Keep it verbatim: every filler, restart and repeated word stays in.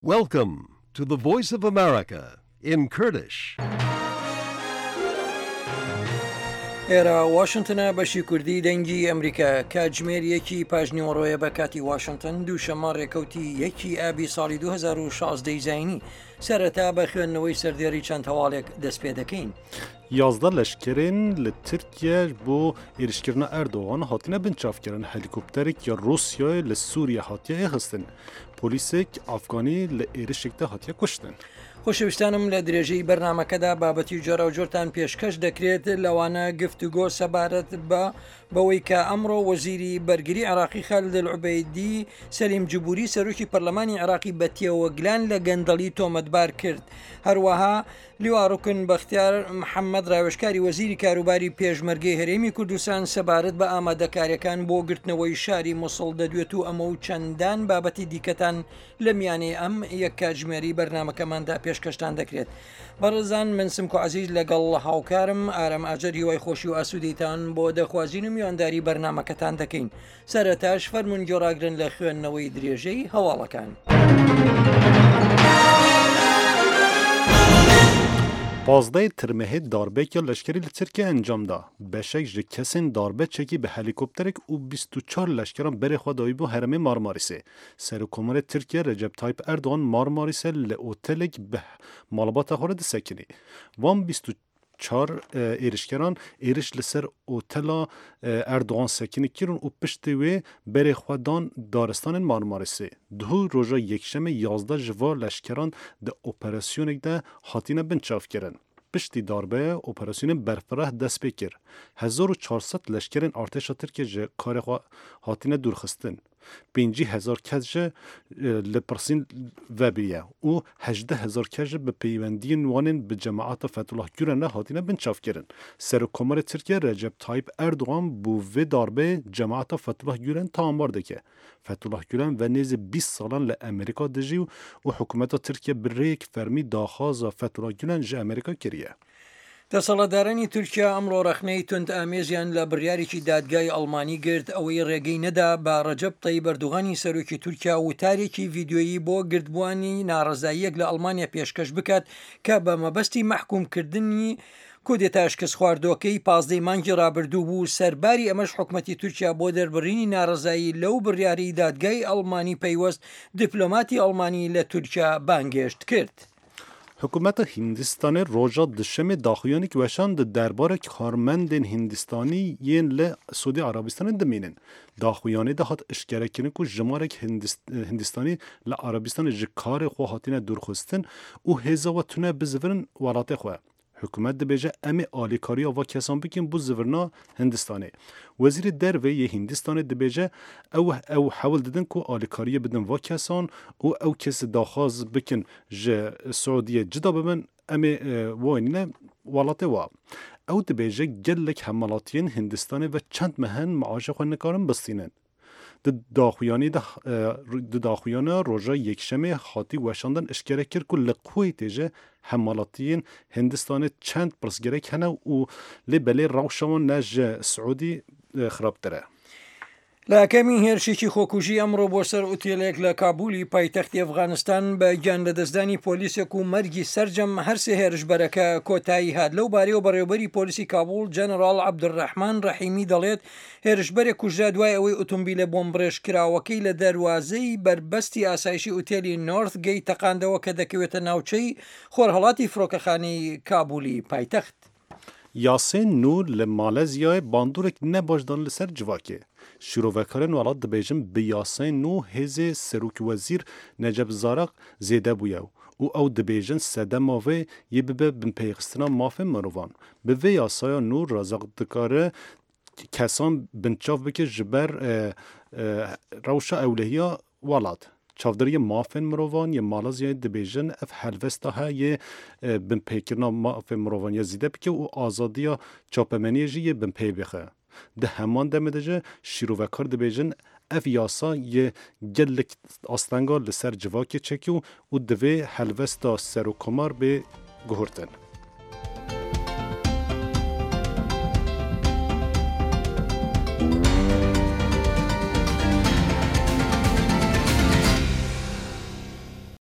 Welcome to the Voice of America in Kurdish. ئێرە واشنتنە، بەشی کوردی دەنگی ئەمریکا. کاتژمێر یەکی پاژنیوەڕۆیە بە کاتی واشنتن، دووشەممە ڕێکەوتی یەکی ئابی ساڵی دوو هەزار و شازدە زایینی. سەرەتا بە خوێندنەوەی سەردێری چەند هەواڵێک دەست پێ دەکەین. یازدە leşkerên li Tirkiye bo êrişkirina Erdogan hatine binçavkirin. Helîkopterek ya Rûsyayê li Sûriye hatiye êxistin. Polîsek Afganî li êrişek de hatiye kuştin. خۆشەویستانم، لە درێژەی بەرنامەکەدا بابەتی جۆراوجۆرتان پێشکەش دەکرێت، لەوانە گفتوگۆ سەبارەت بە بەوەی کە ئەمڕۆ وەزیری بەرگری عراقی خالد العوبەیدی سەلیم جبوری سەرۆکی پەرلەمانی عراقی بە تێوەگلان لە گەندەڵی تۆمەتبار کرد. هەروەها لیوا ڕوکن بەختیار محەممەد، ڕاوێژکاری وەزیری کاروباری پێشمەرگەی هەرێمی کوردستان، سەبارەت بە ئامادەکاریەکان بۆ گرتنەوەی شاری موسڵ دەدوێت و ئەمە و چەندان بابەتی دیکەتان لە میانەی ئەم یەک کاتژمێری بەرنامەکەماندا پێشکەشتان دەکرێت. بەڕێزان، من سمکۆ عەزیز لەگەڵ هاوکارم ئارام ئاجەر هیوای خۆشی و ئاسوودیتان بۆ دەخوازین و میوانداری بەرنامەکەتان دەکەین. سەرەتاش فەرموون گوێڕاگرن لە خوێندنەوەی درێژەی هەواڵەکان. Pazdeh Tirmehê darbeyeke leşkerî li Tirkiye encam da. Beşek ji kesên darbe çekî bi helîkopterek û bîst û çar leşkeran berê xwe dayîbû herêmê Marmarisê. Serokkomarê Tirkiye Recep Tayyip Erdogan Marmarisê li otelek bi malbata xwe re disekinî. Van bîst û çar êrişkeran êriş li ser otela Erdogan sekinî kirin û piştî wê berê xwe dan daristanên Marmarisê. Duh roja yekşemê yazdeh ji van leşkeran di operasyonek de hatine binçavkirin. Piştî darbeyê operasyonên berfireh dest pê kir. Hezar û çar sed leşkerên artêşa Tirkiye ji karê xwe hatine dûrxistin. Pêncî hezar kes ji li pirsîn vebûye û hejdeh hezar kes jî bi peywendiyên wan ên bi cemaeta Fethullah Gülen re hatine binçavkirin. Serokkomarê Tirkiye Recep Tayyip Erdogan bo vê darbeyê cemaeta Fethullah Gülen tawanbar dike. Fethullah Gülen ve nêzî bîst salan li Amerîka dijî û hikûmeta Tirkiye bi rêyek fermî daxwaza Fethullah Gülen ji Amerîka kiriye. دەسەڵاتدارانی تورکیا ئەمڕۆ ڕەخنەی توند ئامێزیان لە بڕیارێکی دادگای ئەڵمانی گرت، ئەوەی ڕێگەی نەدا بە ڕەجەب تەیب ئەردوغانی سەرۆکی تورکیا وتارێکی ڤیدیۆیی بۆ گردبووانی ناڕەزاییەک لە ئەڵمانیا پێشکەش بکات کە بە مەبەستی مەحکومکردنی کودێتا شکست خواردوەکەی پازدەی مانگی ڕابردوو بوو. سەرباری ئەمەش حکومەتی تورکیا بۆ دەربڕینی ناڕەزایی لەو بڕیاری دادگای ئەڵمانی پەیوەست دیپلۆماتی ئەڵمانی لە تورکیا بانگێشت کرد. Hikûmeta Hindistanê roja duşemê daxuyanîk weşand di derbarê karmendên Hindistanî yên li Siûdî Arabistanê dimînin. Daxuyanî de hat eşkerekirin ku jimarek Hindistanî li Arabistanê ji karê xwe hatine dûrxistin û hêza we tune bizivirin welatê xwe. Hikûmet dibêje em ê alîkariya va kesan bikin bo zivirina Hindistanê. Wezîrê Derve yê Hindistanê dibêje ew ew hewl didin ku alîkariyê bidin va kesan û ew kesê daxwaz bikin ji Siûdiyê cida bibin em ê wanîne welatê wa. Ew dibêje gelek hemwelatiyên Hindistanê ve çend mehin maaşê xwe nikarin bistînin. Di daxuyanî de di daxuyana roja yekşemê hatî weşandin eşkere kir ku li Kuweytê jî hemwelatiyên Hindistanê çend pirsgirêk hene û lê belê rewşa wan ne ji Siûdî xirabtir e. لە ئاکامی هێرشێکی خۆکوژی ئەمڕۆ بۆ سەر ئوتێلێک لە کابولی پایتەختی ئەفغانستان بە گیان لەدەستدانی پۆلیسێک و مەرگی سەرجەم هەرسێ هێرشبەرەکە کۆتایی هات. لەو بارەیەوە بەڕێوەبەری پۆلیسی کابول جەنەڕاڵ عەبدولڕەحمان ڕەحیمی دەڵێت هێرشبەرێک کوژرا دوای ئەوەی ئۆتۆمبیلە بۆمبڕێژکراوەکەی لە دەروازەی بەربەستی ئاسایشی ئوتێلی نۆرث گەیت تەقاندەوە کە دەکەوێتە ناوچەی خۆرهەڵاتی فڕۆکەخانەی کابولی پایتەخت. Yasên nû li Malezyayê bandorek nebaş dan li ser civakê. Şîrovekarên welat dibêjin bi yasayên nû hêzê Serokwezîr Necep Zaraq zêde bûye û ew dibêjin sedema vê yê bibe binpêxistina mafên mirovan. Bi vê yasaya nû Razak dikare kesan binçav bike ji ber rewşa ewlehiya welat. Çavdêriyê mafên mirovan yê Malezyayê dibêjin ev helwesta heye binpêkirina mafên mirovan ya zêde bike û azadiya çapemeniyê jî yê binpê bixe. Di heman demê de jî şîrovekar dibêjin ev yasa yê gelek astenga li ser civakê çekî û divê helwesta serokkomar bê guhertin.